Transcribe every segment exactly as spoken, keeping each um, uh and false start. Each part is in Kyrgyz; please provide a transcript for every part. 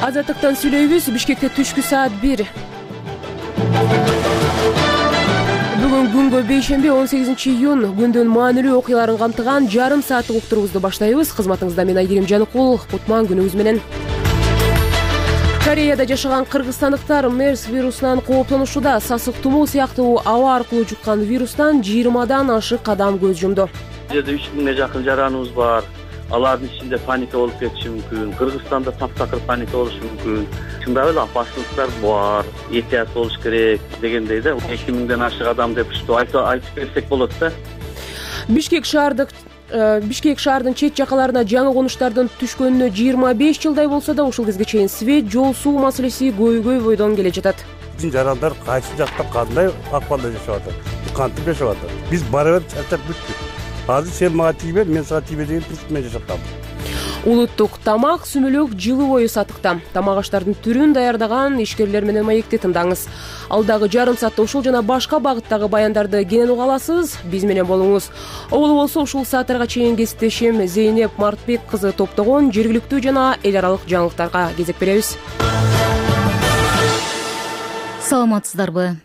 Азаттыктан сүйлөйбүз. Бишкекте түшкү саат бир. Бүгүн күнгө бейшемби он сегизинчи июнь күндүн маанилүү окуяларын камтыган жарым сааттык уктуруубузду баштайбыз. Кызматыңызда мен Айгерим Жаныкул. Кутман күнүңүз менен. Кореяда жашаган кыргызстандыктар мерс вирусунан кооптонушуда. Сасык тумоо сыяктуу аба аркылуу жуккан вирустан жыйырмадан ашык адам көз жумду. Жерде үч миңге жакын жараныбыз бар. Алардын ичинде паника болуп кетиши мүмкүн. Кыргызстанда таптакыр паника болушу мүмкүн. Чындап эле опасностьтар бар. Этият болуш керек дегендей да. эки миңден ашык адам деп ушу айтып берсек болот да. Бишкек шаардык Бишкек шаардын чет жакаларына жаңы конуштардын түшкөнүнө жыйырма беш жылдай болсо да ушул кезге чейин свет, жол, суу маселеси көйгөй бойдон келе жатат. Жарандар кайсы жакта кандай акыбалда жашап атат, кантип жашап атат. Биз бара бер чарчап бүттүк. Азыр сен мага тийбе, мен сага тийбе деген принцип менен жашап атам. Улуттук тамак, сүмөлөк жылы бою сатыкта. Тамак аштардын түрүн даярдаган ишкерлер менен маекти тыңдаңыз. Алдагы жарым саатта ушул жана башка багыттагы баяндарды кенен уга аласыз. Биз менен болуңуз. Оолу болсо ушул сааттарга чейин кесиптешим Зейнеп Мартбек кызы топтогон жергиликтүү жана эл аралык жаңылыктарга кезек беребиз. Саламатсыздарбы?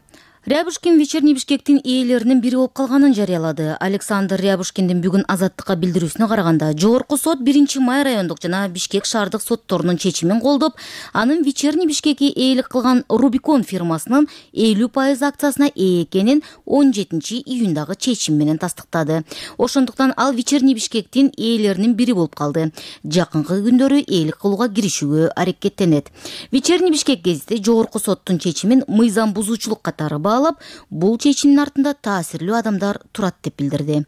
Рябушкин вечерний Бишкектин ээлеринин бири болуп калганын жарыялады. Александр Рябушкиндин бүгүн Азаттыкка билдирүүсүнө караганда, жогорку сот биринчи май райондук жана Бишкек шаардык сотторунун чечимин колдоп, анын вечерний Бишкекке ээлик кылган Рубикон фирмасынын элүү пайыз акциясына ээ экенин он жетинчи июндагы чечим менен тастыктады. Ошондуктан ал вечерний Бишкектин ээлеринин бири болуп калды. Жакынкы күндөрү ээлик кылууга киришүүгө аракеттенет. Вечерний Бишкек гезити жогорку соттун чечимин мыйзам бузуучулук катары баалап, бул чечимдин артында таасирлүү адамдар турат деп билдирди.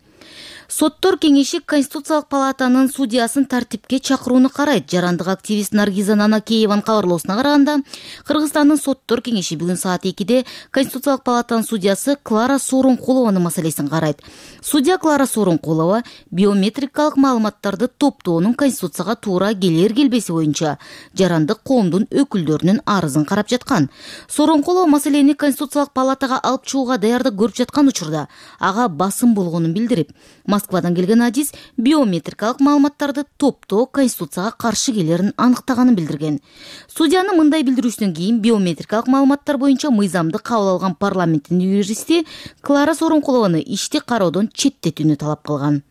Соттор кеңеши Конституциялык палатанын судьясын тартипке чакырууну карайт. Жарандык активист Наргиза Нанакееванын кабарлоосуна караганда, Кыргызстандын соттор кеңеши бүгүн саат экиде Конституциялык палатанын судьясы Клара Сооронкулованын маселесин карайт. Судья Клара Сооронкулова биометрикалык маалыматтарды топтоонун Конституцияга туура келер келбеси боюнча жарандык коомдун өкүлдөрүнүн арызын карап жаткан. Сооронкулова маселени Конституциялык палатага алып чыгууга даярдык көрүп жаткан учурда ага басым болгонун билдирип, Москвадан келген адис биометрикалык маалыматтарды топтоо Конституцияга каршы келерин аныктаганын билдирген. Судьянын мындай билдирүүсүнөн кийин биометрикалык маалыматтар боюнча мыйзамды кабыл алган парламенттин юристи Клара Сооронкулованы ишти кароодон четтетүүнү талап кылган.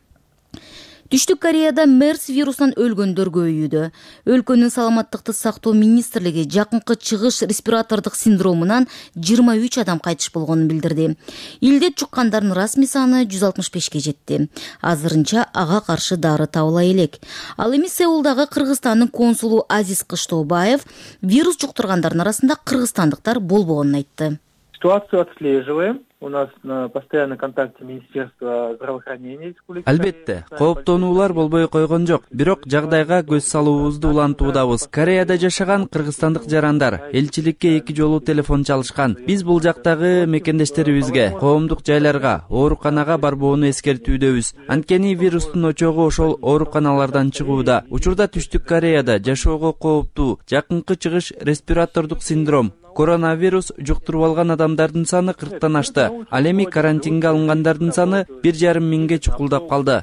Түштүк Кореяда мерс вирусунан өлгөндөр көбөйүүдө. Өлкөнүн саламаттыкты сактоо министрлиги жакынкы чыгыш респиратордук синдромунан жыйырма үч адам кайтыш болгонун билдирди. Илдет жуккандардын расмий саны жүз алтымыш бешке жетти. Азырынча ага каршы дары табыла элек. Ал эми Сеулдагы Кыргызстандын консулу Азиз Кыштобаев вирус жуктургандардын арасында кыргызстандыктар болбогонун айтты. Ситуацию отслеживаем. У нас на постоянном контакте Министерство здравоохранения республики. Албетте, кооптонуулар болбой койгон жок. Бирок жагдайга көз салуубузду улантуудабыз. Кореяда жашаган кыргызстандык жарандар элчиликке эки жолу телефон чалышкан. Биз бул жактагы мекендештерибизге, коомдук жайларга, ооруканага барбоону эскертүүдөбүз. Анткени вирустун очогу ошол ооруканалардан чыгууда. Учурда Түштүк Кореяда жашоого кооптуу жакынкы чыгыш респиратордук синдром, коронавирус жуктуруп алган адамдардын саны кырктан ашты. Ал эми карантинге алынгандардын саны бир жарым миңге чукулдап калды,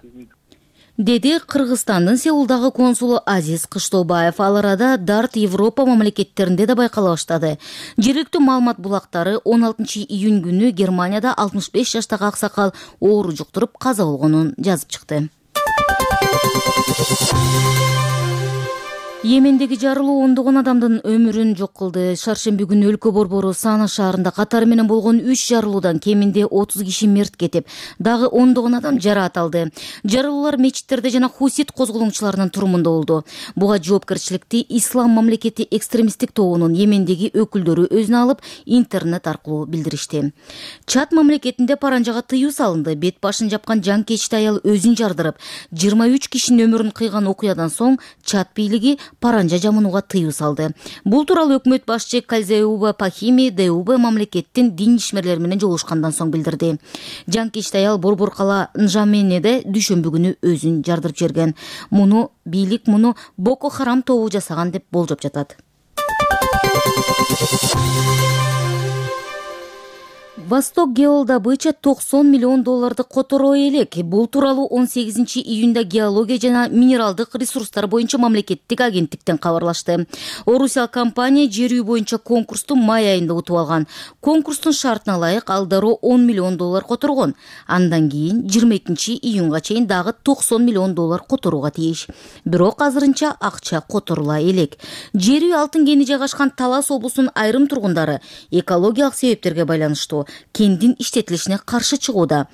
деди Кыргызстандын Сеулдагы консулу Азиз Кыштобаев. Ал арада дарт Европа мамлекеттеринде да байкала баштады. Жергиликтүү маалымат булактары он алтынчы июнь күнү Германияда алтымыш беш жаштагы аксакал оору жуктуруп каза болгонун жазып чыкты. Йемендеги жарылуу ондогон адамдын өмүрүн жок кылды. Шаршемби күнү өлкө борбору Сана шаарында катары менен болгон үч жарылуудан кеминде отуз киши мерт кетип, дагы ондогон адам жараат алды. Жарылуулар мечиттерде жана хусит козголоңчуларынын турумунда болду. Буга жоопкерчиликти Ислам мамлекети экстремисттик тобунун Йемендеги өкүлдөрү өзүнө алып, интернет аркылуу билдиришти. Чад мамлекетинде паранжага тыюу салынды. Бет башын жапкан жанкечти аял өзүн жардырып, жыйырма үч кишинин өмүрүн кыйган окуядан соң Чад бийлиги паранжа жамынууга тыюу салды. Бул тууралуу өкмөт башчы Калзеуба Пахими ДУБ мамлекеттин дин ишмерлери менен жолугушкандан соң билдирди. Жанкечти аял Борбор кала Нжаменеде дүйшөмбү күнү өзүн жардырып жиберген. Муну бийлик муну Боко Харам тобу жасаган деп болжоп жатат. Восток геолдобыча токсон миллион долларды которой элек. Бул тууралуу он сегизинчи июнда геология жана минералдык ресурстар боюнча мамлекеттик агенттиктен кабарлашты. Орусиялык компания жер үй боюнча конкурсту май айында утуп алган. Конкурстун шартына ылайык ал дароо он миллион доллар которгон. Андан кийин жыйырма экинчи июнга чейин дагы токсон миллион доллар которууга тийиш. Бирок азырынча акча которула элек. Жер үй алтын кени жайгашкан Талас облусунун айрым тургундары экологиялык себептерге байланыштуу кендин иштетилишине каршы чыгууда.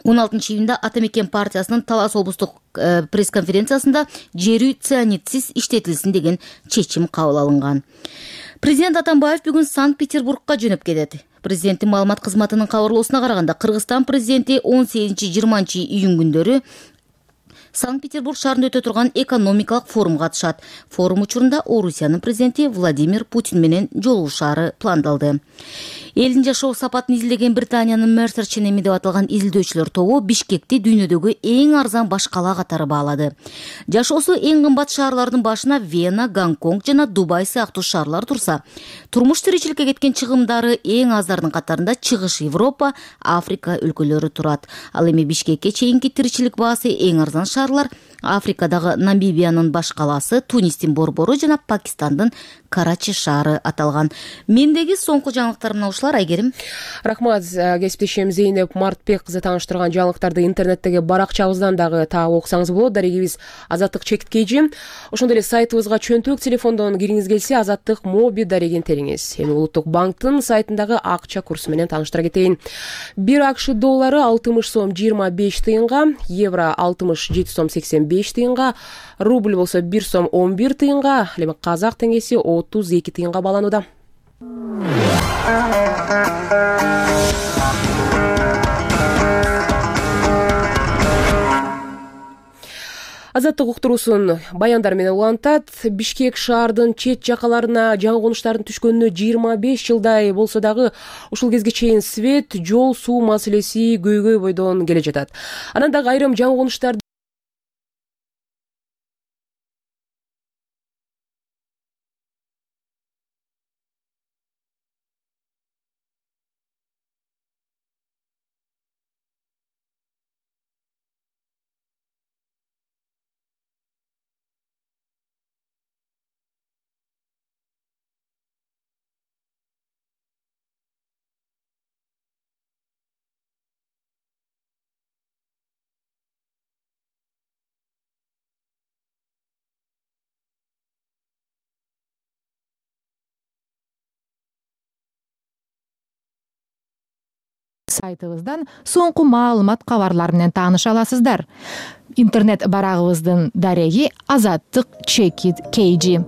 он алтынчы июнда Атамекен партиясынын Талас облустук э, пресс-конференциясында жер үй цианидсиз иштетилсин деген чечим кабыл алынган. Президент Атамбаев бүгүн Санкт-Петербургка жөнөп кетет. Президенттин маалымат кызматынын кабарлоосуна караганда Кыргызстан президенти он сегизинчи жыйырманчы июнь күндөрү Санкт-Петербург шаарында өтө турган экономикалык форумга катышат. Форум учурунда Орусиянын президенти Владимир Путин менен жолугушаары пландалды. Элдин жашоо сапатын изилдеген Британиянын Mercer ченеми деп аталган изилдөөчүлөр тобу Бишкекти дүйнөдөгү эң арзан баш кала катары баалады. Жашоосу эң кымбат шаарлардын башына Вена, Гонконг жана Дубай сыяктуу шаарлар турса, турмуш тиричиликке кеткен чыгымдары эң аздардын катарында Чыгыш Европа, Африка өлкөлөрү турат. Ал эми Бишкекке чейинки тиричилик баасы эң арзан шаарлар Африкадагы Намибиянын баш каласы, Тунистин Борбору жана Пакистандын Карачи шаары аталган. Мендеги соңку жаңылыктар мына ушулар. Айгерим. Рахмат, кесиптешим Зейнеп Мартбек кызы тааныштырган жаңылыктарды интернеттеги баракчабыздан дагы таап окусаңыз болот. Дарегибиз Азаттык Чекиткейжи. Ошондой эле сайтыбызга чөнтөк телефондон кириңиз келсе, Азаттык Моби дарегин териңиз. Эми Улуттук банктын сайтындагы акча курсу менен тааныштыра кетейин. бир акш доллары алтымыш сом жыйырма беш тыйынга, евро алтымыш жети сом сексен беш тыйынга, рубль болсо бир сом он бир тыйынга, эми казак теңгеси отуз эки тыйынга бааланууда. Азаттык уктуруусун баяндар менен улантат. Бишкек шаардын чет жакаларына жаңы конуштардын түшкөнүнө жыйырма беш жылдай болсо дагы ушул кезге чейин свет, жол, суу маселеси көйгөй бойдон келе жатат. Анан дагы айрым жаңы конуштар сайтыбыздан соңку маалымат кабарлар менен тааныша аласыздар. Интернет барагыбыздын дареги Азаттык Чекит Кейжи.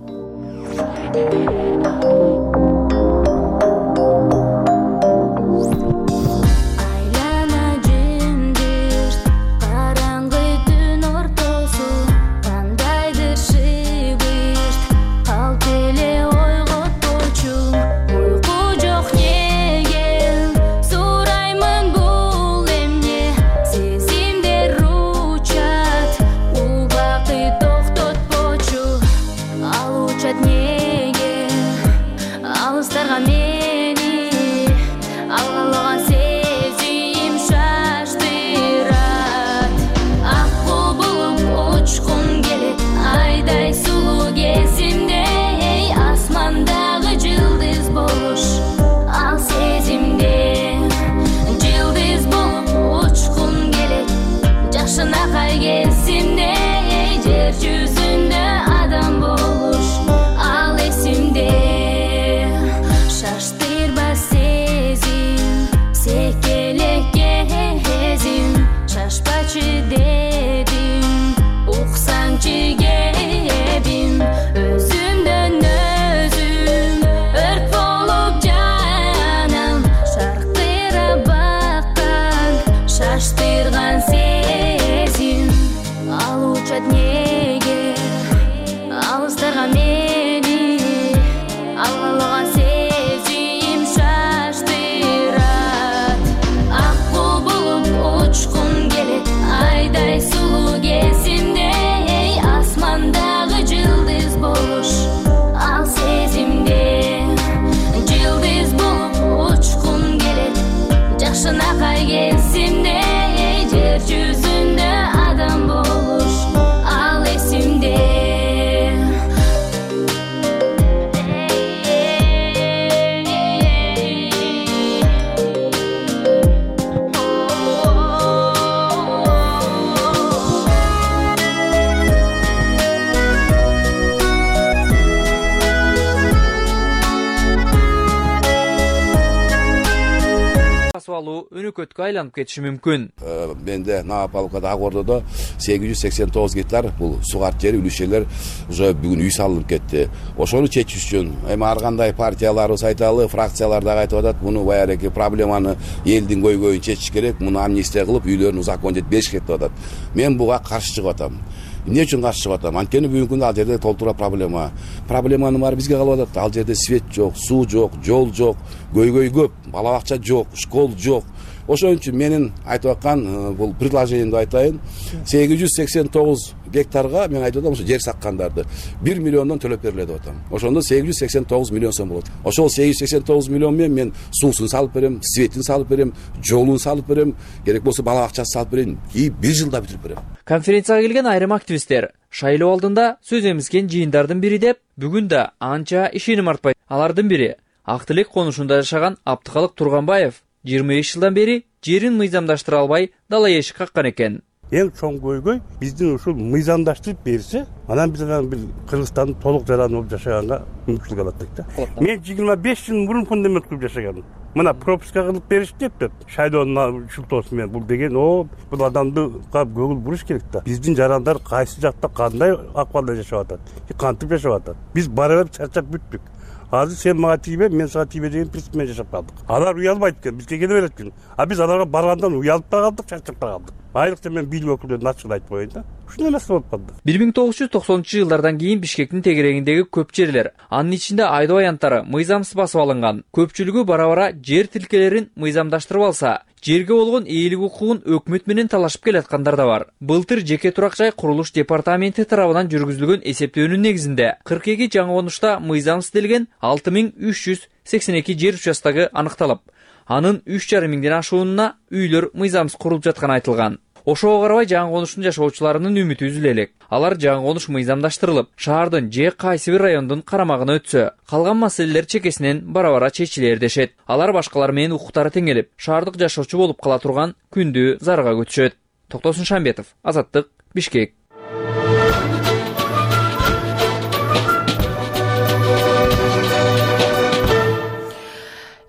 Ал сезимде жылдыз болуп учкум келет. бул өнөкөткө айланып кетиши мүмкүн. Менде Новополкада ак ордодо сегиз жүз сексен тогуз гектар бул сугарт жери үлүшелер уже бүгүн үй салынып кетти. Ошону чечиш үчүн эми ар кандай партияларыбыз айталы, фракциялар дагы айтып атат, муну баягы проблеманы элдин көйгөйүн чечиш керек, муну амнистия кылып үйлөрүн узаконжетип бериш керек деп атат. Мен буга каршы чыгып атам. Эмне үчүн каршы чыгып атам? Анткени бүгүнкү күндө ал жерде толтура проблема. Проблеманын баары бизге калып атат. Ал жерде свет жок, суу жок, жол жок, көйгөй көп, бала бакча жок, школ жок. Ошон үчүн менин айтып аткан бул предложениемди айтайын. сегиз жүз сексен тогуз гектарга мен айтып атам, ошо жер саккандарды бир миллиондон төлөп берилет деп атам. Ошондо сегиз жүз сексен тогуз миллион сом болот. Ошол сегиз жүз сексен тогуз миллион менен мен суусун салып берем, светин салып берем, жолун салып берем, керек болсо бала бакчасын салып берем, и бир жылда бүтүрүп берем. Конференцияга келген айрым активисттер шайлоо алдында сөз эмизген жыйындардын бири деп, бүгүн да анча ишеним артпайт. Алардын бири Ак Тилек конушунда жашаган Абдыкалык Турганбаев жыйырма беш жылдан бери жерин мыйзамдаштыра албай дала эшик каккан экен. Эң чоң көйгөй биздин ушул мыйзамдаштырып берсе, анан биз анан бир Кыргызстандын толук жараны болуп жашаганга мүмкүнчүлүк алат да. Мен жыйырма беш жыл мурун фундамент куруп жашаганмын. Мына пропуска кылып беришти деп, шайлоонун шултоосу менен бул деген, о, бул адамды көңүл буруш керек да. Биздин жарандар кайсы жакта кандай акыбалда жашап атат, кантип жашап атат. Биз бара берип чарчап бүттүк. Азыр сен мага тийбе, мен сага тийбе деген принцип менен жашап калдык. Алар уялбайт экен, бизге келе берет экен. А биз аларга баргандан уялып да калдык, чарчап да калдык. Айрыкча мен бийлик өкүлдөрүнө ачык айтып коеюн да. Ушундай нерсе болуп калды. бир миң тогуз жүз токсонунчу жылдардан кийин Бишкектин тегерегиндеги көп жерлер, анын ичинде айдоо аянттары мыйзамсыз басып алынган. Көпчүлүгү бара-бара жер тилкелерин мыйзамдаштырып алса, жерге болгон ээлик укугун өкмөт менен талашып келаткандар да бар. Былтыр жеке турак жай курулуш департаменти тарабынан жүргүзүлгөн эсептөөнүн негизинде кырк эки жаңы конушта мыйзамсыз делген алты миң үч жүз сексен эки жер участогу аныкталып, анын үч жарым миңден ашуунуна үйлөр мыйзамсыз курулуп жатканы айтылган. Ошого карабай жаңы конуштун жашоочуларынын үмүтү үзүлө элек. Алар жаңы конуш мыйзамдаштырылып, шаардын же кайсы бир райондун карамагына өтсө, калган маселелер чекесинен бара-бара чечилер дешет. Алар башкалар менен укуктары теңелип, шаардык жашоочу болуп кала турган күндү зарга күтүшөт. Токтосун Шамбетов, Азаттык, Бишкек.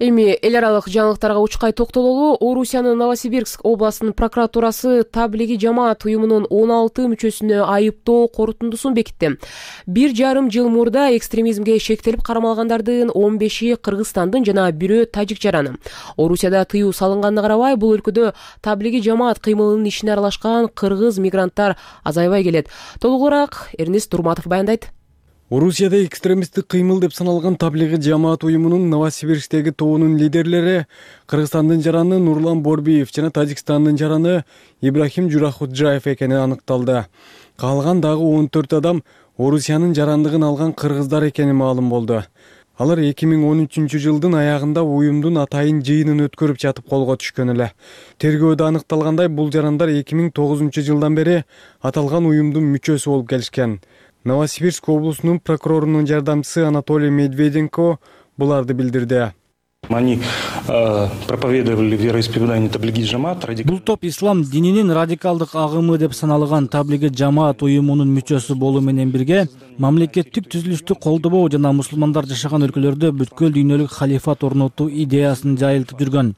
Эми эл аралык жаңылыктарга учкай токтололу. Орусиянын Новосибирск областынын прокуратурасы таблиги жамаат уюмунун он алты мүчөсүнө айыптоо корутундусун бекитти. Бир жарым жыл мурда экстремизмге шектелип карамалгандардын он беши Кыргызстандын жана бирөө тажик жараны. Орусияда тыюу салынганына карабай, бул өлкөдө таблиги жамаат кыймылынын ишине аралашкан кыргыз мигранттар азайбай келет. Толугураак Эрнест Турматов баяндайт. Орусияда экстремисттик кыймыл деп саналган таблиги жамаат уюмунун Новосибирсктеги тобунун лидерлери Кыргызстандын жараны Нурлан Борбиев жана Тажикстандын жараны Ибрахим Журахуджаев экени аныкталды. Калган дагы он төрт адам Орусиянын жарандыгын алган кыргыздар экени маалым болду. Алар эки миң он үчүнчү жылдын аягында уюмдун атайын жыйынын өткөрүп жатып колго түшкөн эле. Тергөөдө аныкталгандай, бул жарандар эки миң тогузунчу жылдан бери аталган уюмдун мүчөсү болуп келишкен. Новосибирск облусунун прокурорунун жардамчысы Анатолий Медведенко буларды билдирди. Они э, проповедовали вероисповедание таблиги жамаат. Бул топ ислам дининин радикалдык агымы деп саналган таблиги жамаат уюмунун мүчөсү болуу менен бирге мамлекеттик түзүлүштү колдобоо жана мусулмандар жашаган өлкөлөрдө бүткүл дүйнөлүк халифат орнотуу идеясын жайылтып жүргөн.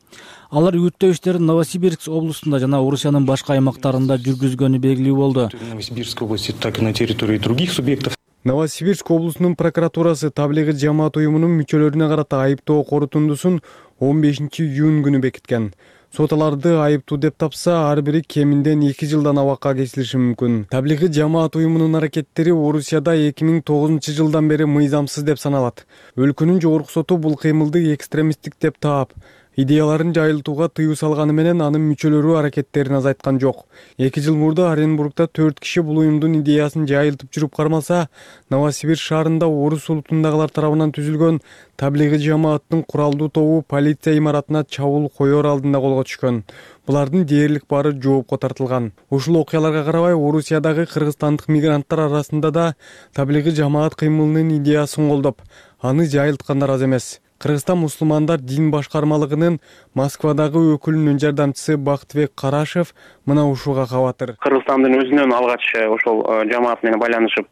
Алар үгүттөө иштерин Новосибирск облусунда жана Орусиянын башка аймактарында жүргүзгөнү белгилүү болду. Новосибирской области, так и на территории других субъектов. Новосибирск облусунун прокуратурасы таблиги жамаат уюмунун мүчөлөрүнө карата айыптоо корутундусун он бешинчи июнь күнү бекиткен. Сот аларды айыптуу деп тапса, ар бири кеминден эки жылдан абакка кесилиши мүмкүн. Таблиги жамаат уюмунун аракеттери Орусияда эки миң тогузунчу жылдан бери мыйзамсыз деп саналат. Өлкөнүн жогорку соту бул кыймылды экстремисттик деп таап, идеяларын жайылтууга тыюу салганы менен анын мүчөлөрү аракеттерин азайткан жок. эки жыл мурда Оренбургда төрт киши бул уюмдун идеясын жайылтып жүрүп кармалса, Новосибирск шаарында орус улутундагылар тарабынан түзүлгөн таблиги жамааттын куралдуу тобу полиция имаратына чабуул коёр алдында колго түшкөн. Булардын дээрлик баары жоопко тартылган. Ушул окуяларга карабай, Орусиядагы кыргызстандык мигранттар арасында да таблиги жамаат кыймылынын идеясын колдоп, аны жайылткандар аз эмес. Кыргызстан мусулмандар дин башкармалыгынын Москвадагы өкүлүнүн жардамчысы Бактыбек Карашев мына ушуга кабатыр. Кыргызстандын өзүнөн алгач ошол жамаат менен байланышып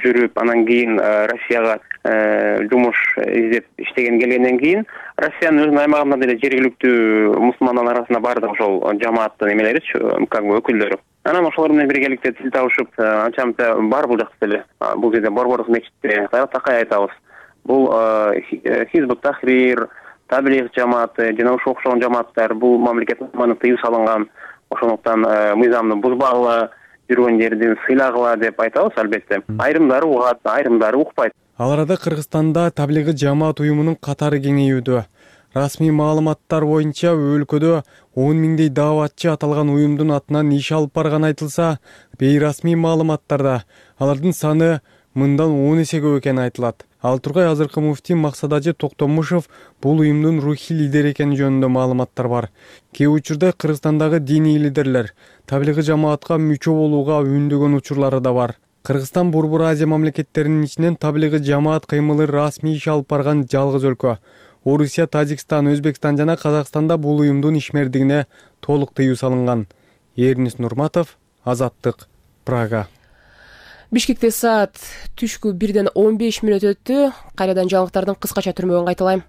жүрүп, анан кийин Россияга жумуш издеп иштеген келгенден кийин Россиянын өзүнүн аймагында деле жергиликтүү мусулмандардын арасында бардык ошол жамааттын эмелеричи, как бы өкүлдөрү. Анан ошолор менен биргеликте тил табышып, анча мынча бар бул жакта деле. Бул жерде Борбордук мечитте такай айтабыз. Бул Хизбут Тахрир, Таблигh жамааты жана ошого окшогон жамааттар бул мамлекет тарабынан тыюу салынган. Ошондуктан мыйзамды бузбагыла, жүргөн жерден сыйлагыла деп айтабыз албетте. Айрымдары угат, айрымдары укпайт. Ал арада Кыргызстанда Таблигh жамаат уюмунун катары кеңейүүдө. Расмий маалыматтар боюнча өлкөдө он миңдей дааватчы аталган уюмдун атынан иш алып барганы айтылса, бейрасмий маалыматтарда алардын саны мындан он эсе көп экени айтылат. Ал тургай азыркы муфтий Максадажы Токтомушев бул уюмдун рухий лидери экени жөнүндө маалыматтар бар. Кээ учурда Кыргызстандагы диний лидерлер Таблигh жамаатка мүчө болууга үндөгөн учурлары да бар. Кыргызстан Борбор Азия мамлекеттеринин ичинен Таблигh жамаат кыймылы расмий иш алып барган жалгыз өлкө. Орусия, Тажикстан, Өзбекстан жана Казакстанда бул уюмдун ишмердигине толук тыюу салынган. Эрнис Нурматов, Азаттык, Прага. Бишкекте саат түшкү бирден он беш мүнөт өттү. Кайрадан жаңылыктардын кыскача түрмөгүн кайталайм.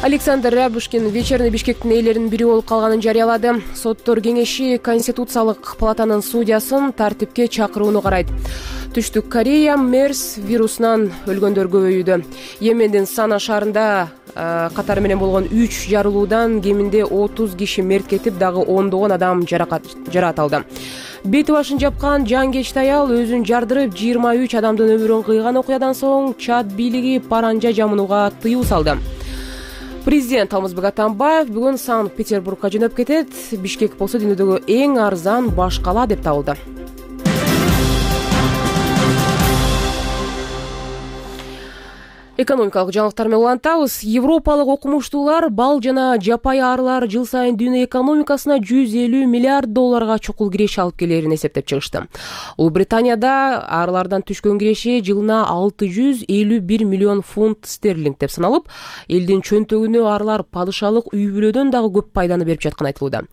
Александр Рябушкин вечерний Бишкектин ээлеринин бири болуп калганын жарыялады. Соттор кеңеши Конституциялык палатанын судьясын тартипке чакырууну карайт. Түштүк Корея мерс вирусунан өлгөндөр көбөйүүдө. Йемендин Сана шаарында катары менен болгон үч жарылуудан кеминде отуз киши мерт кетип, дагы ондогон адам жаракат алды. Бети башын жапкан жангечти аял өзүн жардырып жыйырма үч адамдын өмүрүн кыйган окуядан соң Чад бийлиги паранжа жамынууга тыюу салды. Президент Алмазбек Атамбаев бүгүн Санкт-Петербургка жөнөп кетет. Бишкек болсо дүйнөдөгү эң арзан баш кала деп табылды. Экономикалык жаңылыктар менен улантабыз. Европалык окумуштуулар бал жана жапай арылар жыл сайын дүйнө экономикасына жүз элүү миллиард долларга чукул киреше алып келерин эсептеп чыгышты. Улуу Британияда арылардан түшкөн киреше жылына алты жүз элүү бир миллион фунт стерлинг деп саналып, элдин чөнтөгүнө арылар падышалык үй бүлөдөн дагы көп пайданы берип жатканы айтылууда.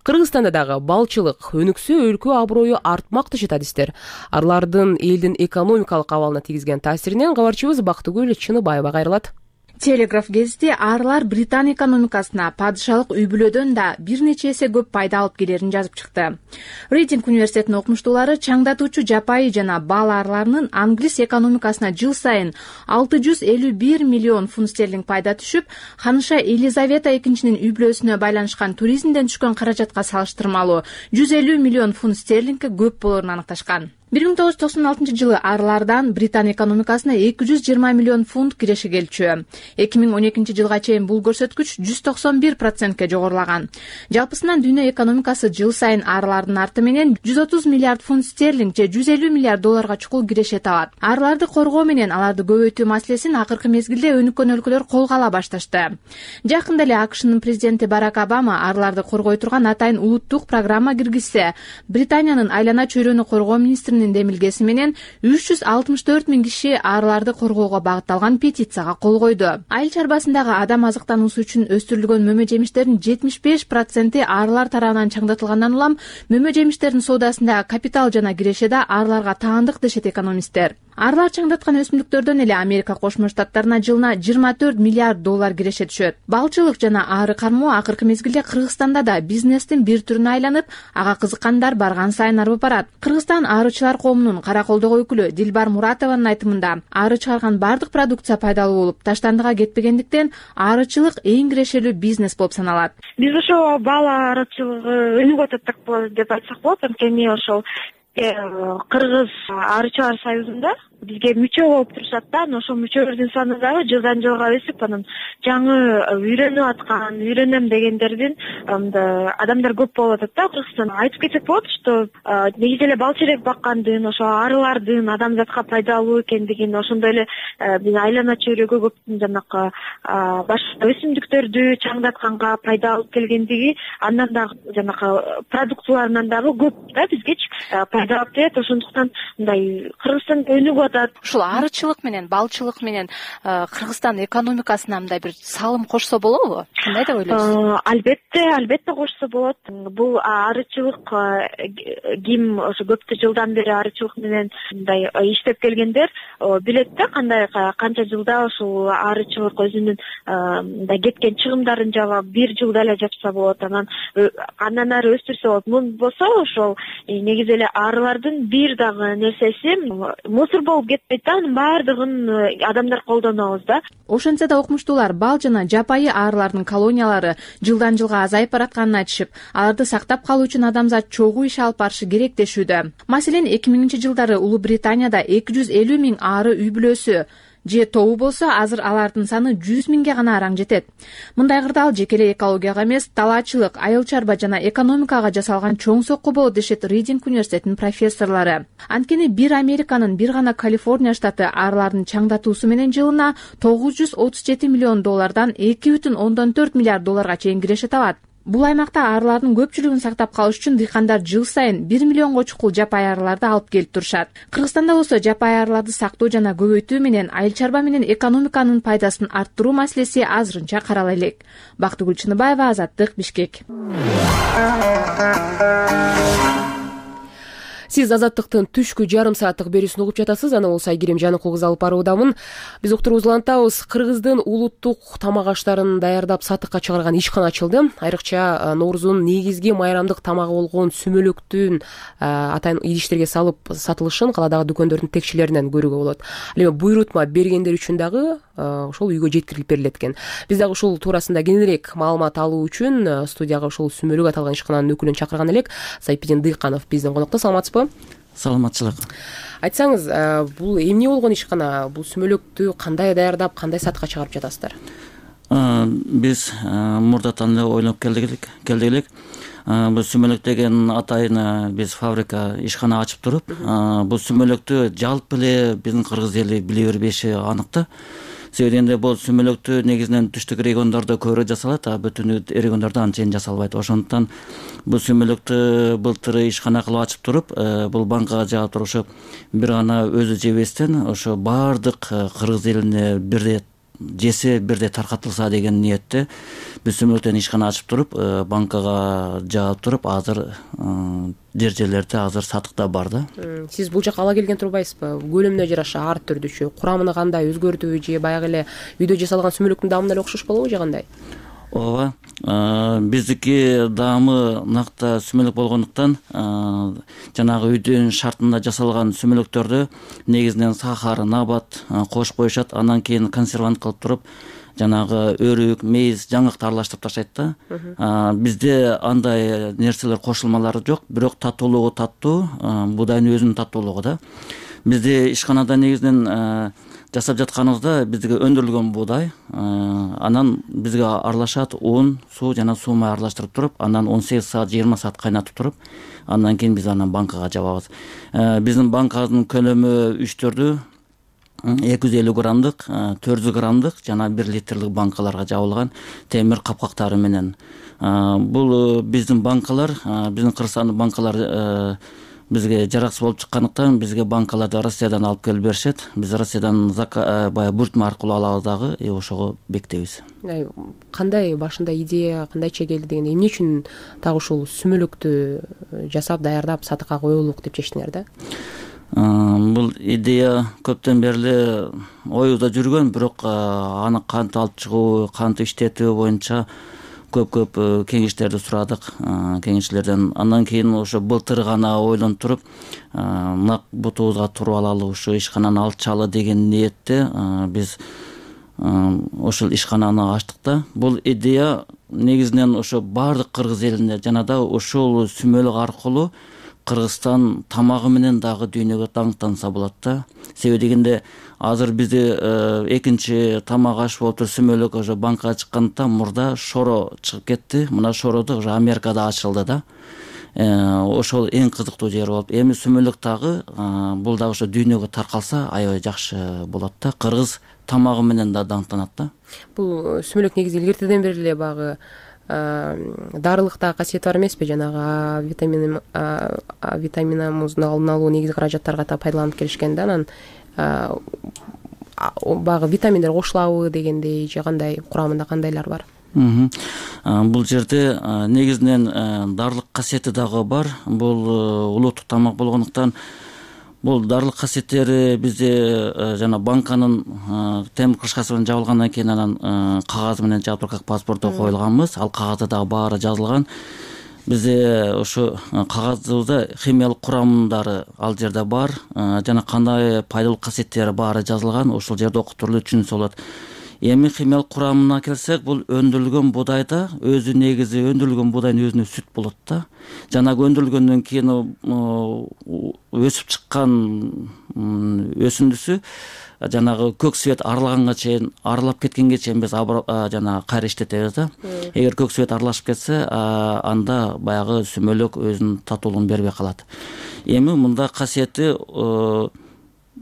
Кыргызстанда дагы балчылык өнүксө өлкө аброю артмак дешет адистер. Арылардын элдин экономикалык абалына тийгизген таасиринен кабарчыбыз Бактыгүл Чыныбаева кайрылат. Телеграф гезити арылар Британ экономикасына падышалык үй бүлөдөн да бир нече эсе көп пайда алып келерин жазып чыкты. Рейтинг университетинин окумуштуулары чаңдатуучу жапайы жана бал арыларынын англис экономикасына жыл сайын алты жүз элүү бир миллион фунт стерлинг пайда түшүп, ханыша Елизавета экинчинин үй бүлөсүнө байланышкан туризмден түшкөн каражатка салыштырмалуу жүз элүү миллион фунт стерлингке көп болорун аныкташкан. бир миң тогуз жүз токсон алтынчы жылы арылардан Британ экономикасына эки жүз жыйырма миллион фунт киреше келчү. эки миң он экинчи жылга чейин бул көрсөткүч жүз токсон бир процентке жогорулаган. Жалпысынан дүйнө экономикасы жыл сайын арылардын арты менен жүз отуз миллиард фунт стерлинг же жүз элүү миллиард долларга чукул киреше табат. Арыларды коргоо менен аларды көбөйтүү маселесин акыркы мезгилде өнүккөн өлкөлөр колго ала башташты. Жакында эле АКШнын президенти Барак Обама арыларды коргой турган атайын улуттук программа киргизсе, Британиянын айлана чөйрөнү коргоо министри демилгеси менен үч жүз алтымыш төрт миң киши арыларды коргоого багытталган петицияга кол койду. Айыл чарбасындагы адам азыктануусу үчүн өстүрүлгөн мөмө жемиштердин жетимиш беш проценти арылар тарабынан чаңдатылгандан улам мөмө жемиштердин соодасындагы капитал жана киреше да арыларга таандык дешет экономисттер. Арылар чаңдаткан өсүмдүктөрдөн эле Америка Кошмо Штаттарына жылына жыйырма төрт миллиард доллар киреше түшөт. Балчылык жана ары кармоо акыркы мезгилде Кыргызстанда да бизнестин бир түрүнө айланып, ага кызыккандар барган сайын арып барат. Кыргызстан арычылар коомунун Караколдогу өкүлү Дилбар Муратованын айтымында, ары чыгарган бардык продукция пайдалуу болуп, таштандыга кетпегендиктен арычылык эң кирешелүү бизнес болуп саналат. Биз ошо бал арычылыгы өнүгүп атат деп айтсак болот. Анткени ошол Кыргыз арычылар союзунда бизге мүчө болуп турушат да, анан ошол мүчөлөрдүн саны дагы жылдан жылга өсүп, анан жаңы үйрөнүп аткан, үйрөнөм дегендердин адамдар көп болуп атат да Кыргызстанда. Айтып кетсек болот, что негизи эле бал черек баккандын, ошо арылардын адамзатка пайдалуу экендигин, ошондой эле биз айлана чөйрөгө көп жанакы башка өсүмдүктөрдү чаңдатканга пайда алып келгендиги, андан дагы жанакы продукцияларынан дагы көп да бизгечи пайда алып келет. Ошондуктан мындай Кыргызстан өнүгүп атат. Ушул арычылык менен балчылык менен Кыргызстан экономикасына мындай бир салым кошсо болобу? Кандай деп ойлойсуз? Албетте, албетте кошсо болот. Бул арычылык ким ошо көптү жылдан бери арычылык менен мындай иштеп келгендер билет да, кандай канча жылда ушул арычылык өзүнүн мындай кеткен чыгымдарын жаап бир жылда эле жапса болот, анан андан ары өстүрсө болот. Мун болсо ошол негизи эле арылардын бир дагы нерсеси мусор болуп кетпейт да, анын баардыгын адамдар колдонобуз да. Ошентсе да окумуштуулар бал жана жапайы арылардын колониялары жылдан жылга азайып баратканын айтышып, аларды сактап калуу үчүн адамзат чогуу иш алып барышы керек дешүүдө. Маселен, эки миңинчи жылдары Улуу Британияда эки жүз элүү миң ары үй бүлөсү же тобу болсо, азыр алардын саны жүз миңге гана араң жетет. Мындай кырдаал жеке эле экологияга эмес, талаачылык, айыл чарба жана экономикага жасалган чоң сокку болот дешет Ридинг университетинин профессорлору. Анткени бир Американын, бир гана Калифорния штаты арылардын чаңдатуусу менен жылына тогуз жүз отуз жети миллион доллардан эки бүтүн ондон төрт миллиард долларга чейин киреше табат. Бул аймакта арылардын көпчүлүгүн сактап калыш үчүн дыйкандар жыл сайын бир миллионго чукул жапайы арыларды алып келип турушат. Кыргызстанда болсо жапайы арыларды сактоо жана көбөйтүү менен айыл чарба менен экономиканын пайдасын арттыруу маселеси азырынча карала элек. Бактыгүл Чыныбаева, Азаттык, Бишкек. Сиз Азаттыктын түшкү жарым сааттык берүүсүн угуп жатасыз. Аны болсо Айгерим Жаныкул кызы алып баруудамын. Биз уктуруубузду улантабыз. Кыргыздын улуттук тамак аштарын даярдап сатыкка чыгарган ишкана ачылды. Айрыкча Ноорузун негизги майрамдык тамагы болгон сүмөлөктүн атайын идиштерге салып сатылышын каладагы дүкөндөрдүн текчелеринен көрүүгө болот. Ал эми буйрутма бергендер үчүн дагы ошол үйгө жеткирилип берилет экен. Биз дагы ушул туурасында кененирээк маалымат алуу үчүн студияга ушул сүмөлөк аталган ишкананын өкүлүн чакырган элек. Сайпидин Дыйканов биздин конокто. Саламатсызбы? Саламатчылык. Айтсаңыз, бул эмне болгон ишкана? Бул сүмөлөктү кандай даярдап, кандай сатыкка чыгарып жатасыздар? Биз мурдатан эле ойлоп келдик келдик элек. Бул сүмөлөк деген атайын биз фабрика ишкана ачып туруп, бул сүмөлөктү жалпы эле биздин кыргыз эли биле бербеши анык да. Себеби дегенде бул сүмөлөктү негизинен түштүк региондордо көбүрөөк жасалат, а бүтүн региондордо анчейин жасалбайт. Ошондуктан бул сүмөлөктү былтыр ишкана кылып ачып туруп, бул банкага жаап турушуп, бир гана өзү жебестен ошо баардык кыргыз элине бирдей жесе, бирдей таркатылса деген ниетте биз сүмөлөктөн ишкана ачып туруп, банкага жаап туруп, азыр жер жерлерде азыр сатыкта бар да. Сиз бул жака ала келген турбайсызбы? Көлөмүнө жараша ар түрдүүчү, курамыны кандай өзгөртүүбү же баягы эле үйдө жасалган сүмөлөктүн даамына эле окшош болобу же кандай? Ооба, биздики даамы накта сүмөлөк болгондуктан жанагы үйдүн шартында жасалган сүмөлөктөрдү негизинен сахар, набат кошуп коюшат, андан кийин консервант кылып туруп, жанагы өрүк, мейиз, жаңыкты аралаштырып таштайт да. Бизде андай нерселер кошулмалары жок, бирок татуулугу таттуу, будайдын өзүнүн таттуулугу да. Бизде ишканада негизинен жасап жатканыбызда бизге өндүрүлгөн буудай, анан бизге аралашат ун, суу жана суу май аралаштырып туруп, анан он сегиз саат, жыйырма саат кайнатып туруп, андан кийин биз анан банкага жабабыз. Биздин банканын көлөмү үч төрдү, эки жүз элүү граммдык, төрт жүз граммдык жана бир литрлик банкаларга жабылган темир капкактары менен. Бул биздин банкалар, биздин Кыргызстандын банкалары бизге жараксыз болуп чыккандыктан бизге банкаларды Россиядан алып келип беришет. Биз Россиядан баягы буйртма аркылуу алабыз дагы, и ошого бекитебиз. Кандай башында идея кандайча келди дегенде, эмне үчүн так ушул сүмөлөктү жасап даярдап сатыкка коелук деп чечтиңер да? Бул идея көптөн бери эле оюбузда жүргөн, бирок аны кантип алып чыгуу, кантип иштетүү боюнча көп-көп кеңештерди сурадык кеңешчилерден. Андан кийин ошо былтыр гана ойлонуп туруп, нак бутубузга туруп алалы, ушу ишкананы алчалы деген ниетте биз ошол ишкананы ачтык да. Бул идея негизинен ошо баардык кыргыз элине жана да ушул сүмөлөк аркылуу Кыргызстан тамагы менен дагы дүйнөгө даңктанса болот да. Себеби дегенде азыр бизде экинчи тамак аш болуп туруп сүмөлөк ошо банкага чыккандыктан мурда шоро чыгып кетти. Мына шороду уже Америкада ачылды да. Ошол эң кызыктуу жери болуп, эми сүмөлөк дагы бул дагы ошо дүйнөгө таркалса аябай жакшы болот да. Кыргыз тамагы менен да даңктанат да. Бул сүмөлөк негизи илгертеден бери эле багы дарылыкта касиети бар эмеспи? Жанагы витамин витаминамыздын алдын алуу негизи каражаттарга да пайдаланып келишкен да. Анан баягы витаминдер кошулабы дегендей же кандай курамында кандайлар бар? Бул жерде негизинен дарылык касиети дагы бар. Бул улуттук тамак болгондуктан бул дарылык касиеттери бизде жана банканын темир крышкасы менен жабылгандан кийин анан кагаз менен жаап как паспортто коюлганбыз. Ал кагазда дагы баары жазылган. Бизде ошо кагазыбызда химиялык курамдары ал жерде бар, жана кандай пайдалуу касиеттери баары жазылган. Ошол жерде окуп туруп түшүнсө болот. Эми химиялык курамына келсек, бул өндүрүлгөн буудайда өзү негизи өндүрүлгөн буудайдын өзүнө сүт болот да. Жанагы өндүрүлгөндөн кийин өсүп чыккан өсүндүсү жанагы көк свет арылаганга чейин, арылап кеткенге чейин биз жана кайра иштетебиз да. Эгер көк свет аралашып кетсе, анда баягы сүмөлөк өзүнүн татуулугун бербей калат. Эми мында касиети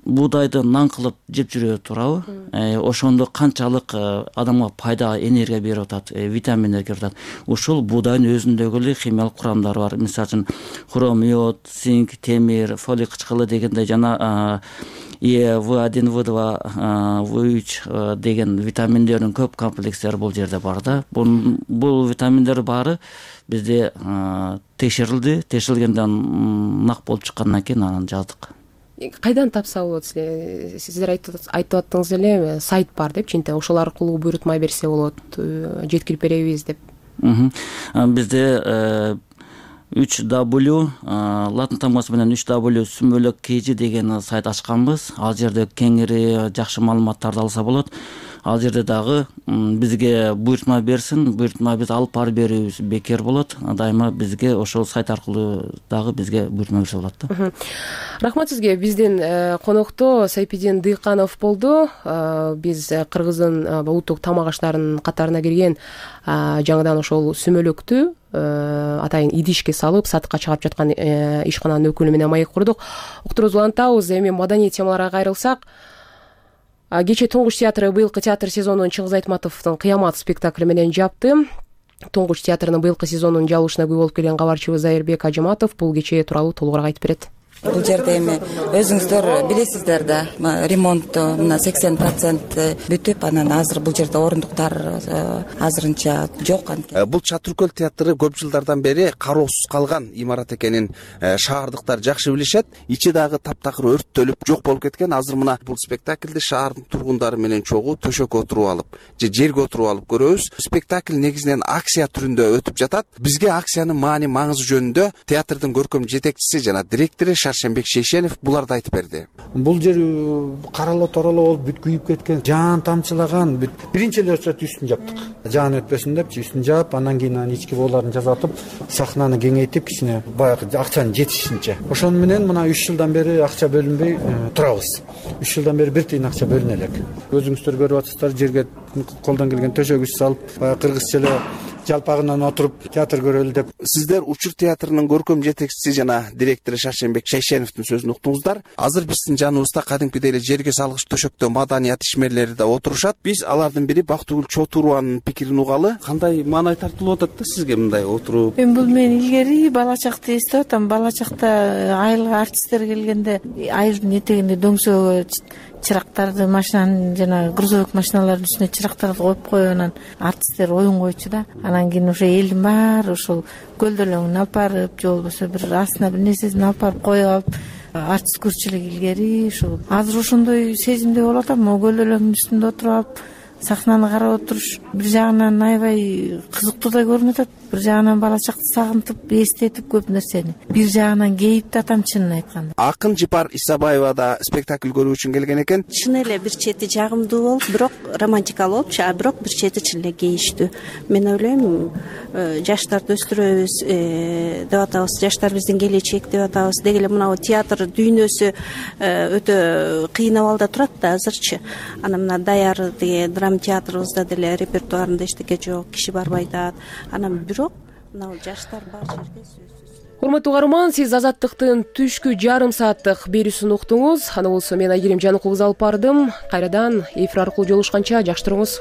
буудайды нан кылып жеп жүрө турабы? Ошондо канчалык адамга пайда, энергия берип атат, витаминдер берип атат. Ушул буудайдын өзүндөгү эле химиялык курамдары бар. Мисалы үчүн хром, йод, цинк, темир, фолий кычкылы дегендей жана Е, В один, В два, В үч деген витаминдердин көп комплекстери бул жерде бар да. Бул витаминдер баары бизде текшерилди, текшерилгенден нак болуп чыккандан кийин анан жаздык. Кайдан тапса болот? Сиздер айтып аттыңыз эле, сайт бар деп, чынтэ ошол аркылуу буйрутма берсе болот, жеткирип беребиз деп. Бизде үч дабл латын тамгасы менен үч дабл сүмөлөк kg деген сайт ачканбыз. Ал жерде кеңири жакшы маалыматтарды алса болот. Ал жерде дагы бизге буйрутма берсин, буйрутма биз алып барып берүүбүз бекер болот. Дайыма бизге ошол сайт аркылуу дагы бизге буйрутма берсе болот да. Рахмат сизге. Биздин конокто Сайпидин Дыйканов болду. Биз Кыргыздын улуттук тамак аштарынын катарына кирген жаңыдан ошол сүмөлөктү атайын идишке салып сатыкка чыгарып жаткан ишкананын өкүлү менен маек курдук. Уктуруубузду улантабыз. Эми маданий темаларга кайрылсак, кечээ Туңгуч театры быйылкы театр сезонун Чыңгыз Айтматовдун Кыямат спектакли менен жапты. Туңгуч театрынын быйылкы сезонунун жабылышына күбө болуп келген кабарчыбыз Айырбек Ажыматов бул кечээ тууралуу толугураак айтып берет. Бул жерде эми өзүңүздөр билесиздер да, ремонт мына сексен процент бүтүп, анан азыр бул жерде орундуктар азырынча жок. Бул Чатыркөл театры көп жылдардан бери кароосуз калган имарат экенин шаардыктар жакшы билишет. Ичи дагы таптакыр өрттөлүп жок болуп кеткен. Азыр мына бул спектакльди шаардын тургундары менен чогуу төшөккө отуруп алып же жерге отуруп алып көрөбүз. Спектакль негизинен акция түрүндө өтүп жатат. Бизге акциянын маани маңызы жөнүндө театрдын көркөм жетекчиси жана директору Шаршенбек Шейшенов буларды айтып берди. Бул жер каралы торалы болуп бүт күйүп кеткен, жаан тамчылаган. Биринчи эле үстүн жаптык. Жаан өтпөсүн деп үстүн жаап, андан кийин анан ички бооларын жазатып, сахнаны кеңейтип, кичине баягы акчанын жетишинче. Ошону менен мына үч жылдан бери акча бөлүнбөй турабыз. үч жылдан бери бир тыйын акча бөлүнө элек. Өзүңүздөр көрүп атасыздар, жерге колдон келген төшөгүч салып, баягы кыргызча эле жалпагынан отуруп театр көрөлү деп. Сиздер Учур театрынын көркөм жетекчиси жана директору Шаршенбек Шейшеновдун сөзүн уктуңуздар. Азыр биздин жаныбызда кадимкидей эле жерге салгыч төшөктө маданият ишмерлери да отурушат. Биз алардын бири Бактыгүл Чотурованын пикирин угалы. Кандай маанай тартылып атат да сизге мындай отуруп? Мен бул мен илгери бала чакта эстеп атам. Бала чакта айылга артисттер келгенде айылдын этегинде дөңсөгө чырактарды, машинанын жана грузовик машиналардын үстүнө чырактарды коюп коюп анан артисттер оюн койчу да. Анан кийин ошо элдин баары ошол көлдөлөңүн алып барып, же болбосо бир астына бир нерсесин алып барып коюп алып артист көрчү элек илгери. Ошол азыр ошондой сезимде болуп атам. Могу көлдөлөңдүн үстүндө отуруп алып сахнаны карап отуруш бир жагынан аябай кызыктуу да көрүнүп атат. Бир жагынан бала чакты сагынтып, эстетип көп нерсени. Бир жагынан кейип да атам чынын айтканда. Акын Жипар Исабаева да спектакль көрүү үчүн келген экен. Чын эле бир чети жагымдуу болуп, бирок романтикалуу болупчу, а бирок бир чети чын эле кейиштүү. Мен ойлойм, жаштарды өстүрөбүз деп атабыз, жаштар биздин келечек деп атабыз. Деги эле мына театр дүйнөсү өтө кыйын абалда турат да азырчы. Анан мына Даяр деген драма театрыбызда деле репертуарында эчтеке жок, киши барбай атат. Анан бирок мына жаштар бар жерде сөзсүз. Урматтуу угарман, сиз Азаттыктын түшкү жарым сааттык берүүсүн уктуңуз. Аны болсо мен Айгерим Жаныкул кызы алып бардым. Кайрадан эфир аркылуу жолугушканча жакшы туруңуз.